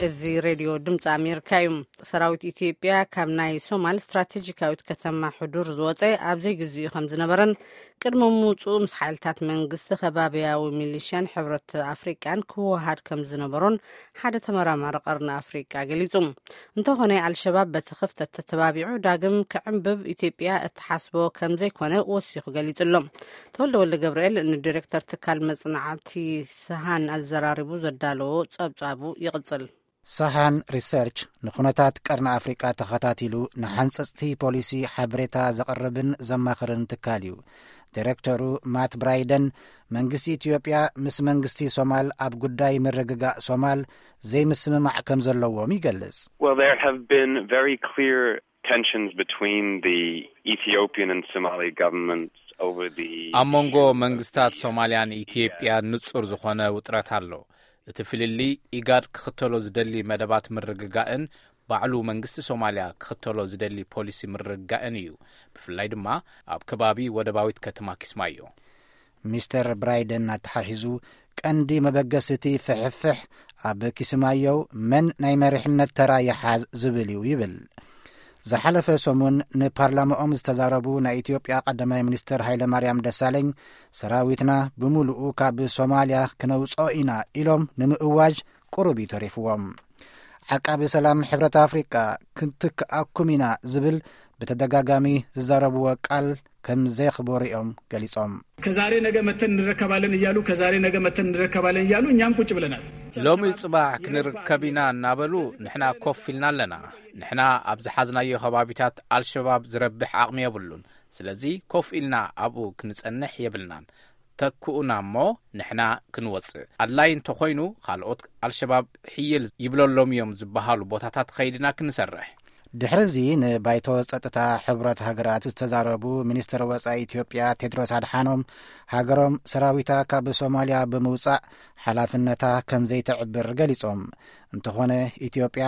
እዚ ሬድዮ ድምፂ ኣሜሪካ እዩ። ሰራዊት ኢትዮጵያ ካብ ናይ ሶማል ስትራቴጂካዊት ከተማ ሕዱር ዝወፀ ኣብ ዘይግዜኡ ከም ዝነበረን፣ ቅድሚ ምውፅኡ ምስ ሓይልታት መንግስቲ ከባቢያዊ ሚሊሽያን ሕብረት ኣፍሪቃን ክወሃድ ከም ዝነበሮን ሓደ ተመራማሪ ቀርኒ ኣፍሪቃ ገሊጹ። እንተኾነ፣ ኣልሸባብ በቲ ክፍተት ተተባቢዑ ዳግም ክዕምብብ ኢትዮጵያ እትሓስቦ ከም ዘይኮነ ወሲኹ ገሊጹ ኣሎ። ተወልደ ወልደ ገብርኤል ንዲሬክተር ትካል መጽናዕቲ ሰሃን ኣዘራሪቡ ዘዳለዎ ጸብጻቡ ይቕጽል። ሰሃን ሪሰርች ንኹነታት ቀርኒ ኣፍሪቃ ተኸታቲሉ ንሓንጸጽቲ ፖሊሲ ሓበሬታ ዘቕርብን ዘማኽርን ትካል እዩ። ዲሬክተሩ ማት ብራይደን፣ መንግስቲ ኢትዮጵያ ምስ መንግስቲ ሶማል ኣብ ጉዳይ ምርግጋእ ሶማል ዘይምስምማዕ ከም ዘለዎም ይገልጽ። Well, there have been very clear tensions between the Ethiopian and Somali governments over the ኣብ መንጎ መንግስታት ሶማልያን ኢትዮጵያን ንጹር ዝኾነ ውጥረት ኣሎ። እቲ ፍልልይ ኢጋድ ክኽተሎ ዝደሊ መደባት ምርግጋእን ባዕሉ መንግስቲ ሶማልያ ክኽተሎ ዝደሊ ፖሊሲ ምርግጋእን እዩ። ብፍላይ ድማ ኣብ ከባቢ ወደባዊት ከተማ ኪስማዮ። ሚስተር ብራይደን ኣተሓሒዙ፣ ቀንዲ መበገሲ እቲ ፍሕፍሕ ኣብ ኪስማዮ መን ናይ መሪሕነት ተራ ይሓዝ ዝብል እዩ ይብል። ዝሓለፈ ሰሙን ንፓርላማኦም ዝተዛረቡ ናይ ኢትዮጵያ ቀዳማይ ሚኒስትር ሃይለማርያም ደሳለኝ፣ ሰራዊትና ብምሉኡ ካብ ሶማልያ ክነውፅኦ ኢና ኢሎም ንምእዋጅ ቁሩብ እዩ ተሪፍዎም። ዓቃቢ ሰላም ሕብረት ኣፍሪቃ ክንትክኣኩም ኢና ዝብል ብተደጋጋሚ ዝዛረብዎ ቃል ከም ዘየኽበሩ እዮም ገሊጾም። ከዛሬ ነገ መተን እንረከባለን እያሉ ከዛሬ ነገ መተን እንረከባለን እያሉ እኛም ቁጭ ብለናል። ሎሚ ጽባሕ ክንርከብ ኢና እናበሉ ንሕና ኮፍ ኢልና ኣለና። ንሕና ኣብ ዝሓዝናዮ ከባቢታት ኣልሸባብ ዝረብሕ ዓቕሚ የብሉን። ስለዚ ኮፍ ኢልና ኣብኡ ክንጸንሕ የብልናን። ተክኡና እሞ ንሕና ክንወጽእ። ኣድላይ እንተኾይኑ ካልኦት ኣልሸባብ ሕይል ይብለሎም እዮም ዝበሃሉ ቦታታት ኸይድና ክንሰርሕ። ድሕሪ እዚ ንባይቶ ጸጥታ ሕቡራት ሃገራት ዝተዛረቡ ሚኒስትር ወጻኢ ኢትዮጵያ ቴድሮስ ኣድሓኖም፣ ሃገሮም ሰራዊታ ካብ ሶማልያ ብምውጻእ ሓላፍነታ ከም ዘይተዕብር ገሊጾም። እንተኾነ ኢትዮጵያ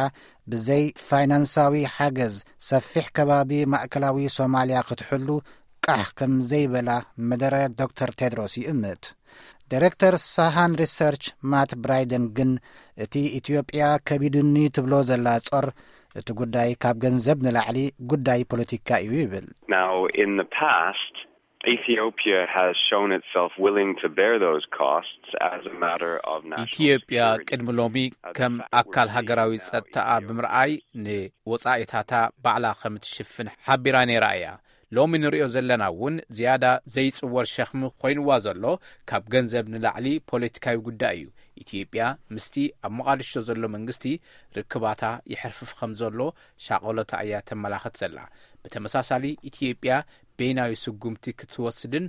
ብዘይ ፋይናንሳዊ ሓገዝ ሰፊሕ ከባቢ ማእከላዊ ሶማልያ ክትሕሉ ቃሕ ከም ዘይበላ መደረ ዶክተር ቴድሮስ ይእምት። ዳይሬክተር ሳሃን ሪሰርች ማት ብራይደን ግን እቲ ኢትዮጵያ ከቢዱኒ ትብሎ ዘላ ጾር እቲ ጉዳይ ካብ ገንዘብ ንላዕሊ ጉዳይ ፖለቲካ እዩ ይብል። Now, in the past, Ethiopia has shown itself willing to bear those costs as a matter of national ኢትዮጵያ security. ቅድሚ ሎሚ ከም ኣካል ሃገራዊ ጸጥታኣ ብምርኣይ ንወጻኢታታ ባዕላ ከም ትሽፍን ሓቢራ ነይራ እያ። ሎሚ ንሪኦ ዘለና እውን ዝያዳ ዘይጽወር ሸኽሚ ኮይንዋ ዘሎ ካብ ገንዘብ ንላዕሊ ፖለቲካዊ ጉዳይ እዩ። ኢትዮጵያ ምስቲ ኣብ ሞቓዲሾ ዘሎ መንግስቲ ርክባታ ይሕርፍፍ ከም ዘሎ ሻቐሎታ እያ ተመላኽት ዘላ። ብተመሳሳሊ ኢትዮጵያ በይናዊ ስጉምቲ ክትወስድን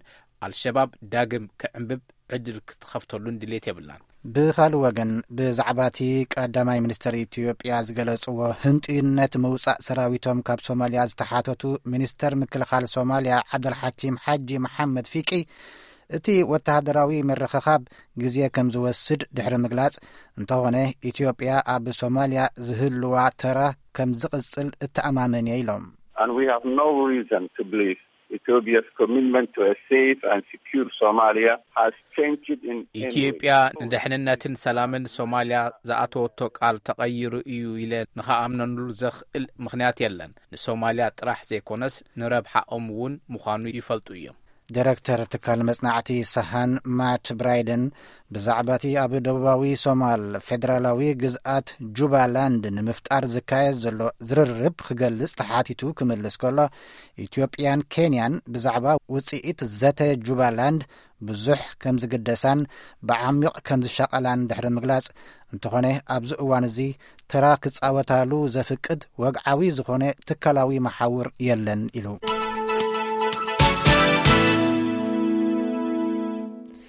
ኣልሸባብ ዳግም ክዕምብብ ዕድል ክትኸፍተሉን ድሌት የብላን። ብኻልእ ወገን ብዛዕባ እቲ ቀዳማይ ሚኒስትር ኢትዮጵያ ዝገለጽዎ ህንጥዩነት ምውጻእ ሰራዊቶም ካብ ሶማልያ ዝተሓተቱ ሚኒስተር ምክልኻል ሶማልያ ዓብደልሓኪም ሓጂ መሓመድ ፊቂ፣ እቲ ወተሃደራዊ ምርኽኻብ ግዜ ከም ዝወስድ ድሕሪ ምግላጽ፣ እንተኾነ ኢትዮጵያ ኣብ ሶማልያ ዝህልዋ ተራ ከም ዝቕጽል እተኣማመን እየ ኢሎም። And we have no reason to believe Ethiopia's commitment to a safe and secure Somalia has changed in any way. ኢትዮጵያ ንድሕንነትን ሰላምን ሶማልያ ዝኣተወቶ ቃል ተቐይሩ እዩ ኢለ ንኸኣምነሉ ዘኽእል ምኽንያት የለን። ንሶማልያ ጥራሕ ዘይኮነስ ንረብሓኦም እውን ምዃኑ ይፈልጡ እዮም። ዲረክተር ትካል መጽናዕቲ ሰሃን ማት ብራይደን ብዛዕባ እቲ ኣብ ደቡባዊ ሶማል ፌደራላዊ ግዝኣት ጁባላንድ ንምፍጣር ዝካየድ ዘሎ ዝርርብ ክገልጽ ተሓቲቱ ክምልስ ከሎ፣ ኢትዮጵያን ኬንያን ብዛዕባ ውጽኢት ዘተ ጁባላንድ ብዙሕ ከም ዝግደሳን ብዓሚቕ ከም ዝሻቐላን ድሕሪ ምግላጽ፣ እንተኾነ ኣብዚ እዋን እዚ ተራ ክጻወታሉ ዘፍቅድ ወግዓዊ ዝኾነ ትካላዊ መሓውር የለን ኢሉ።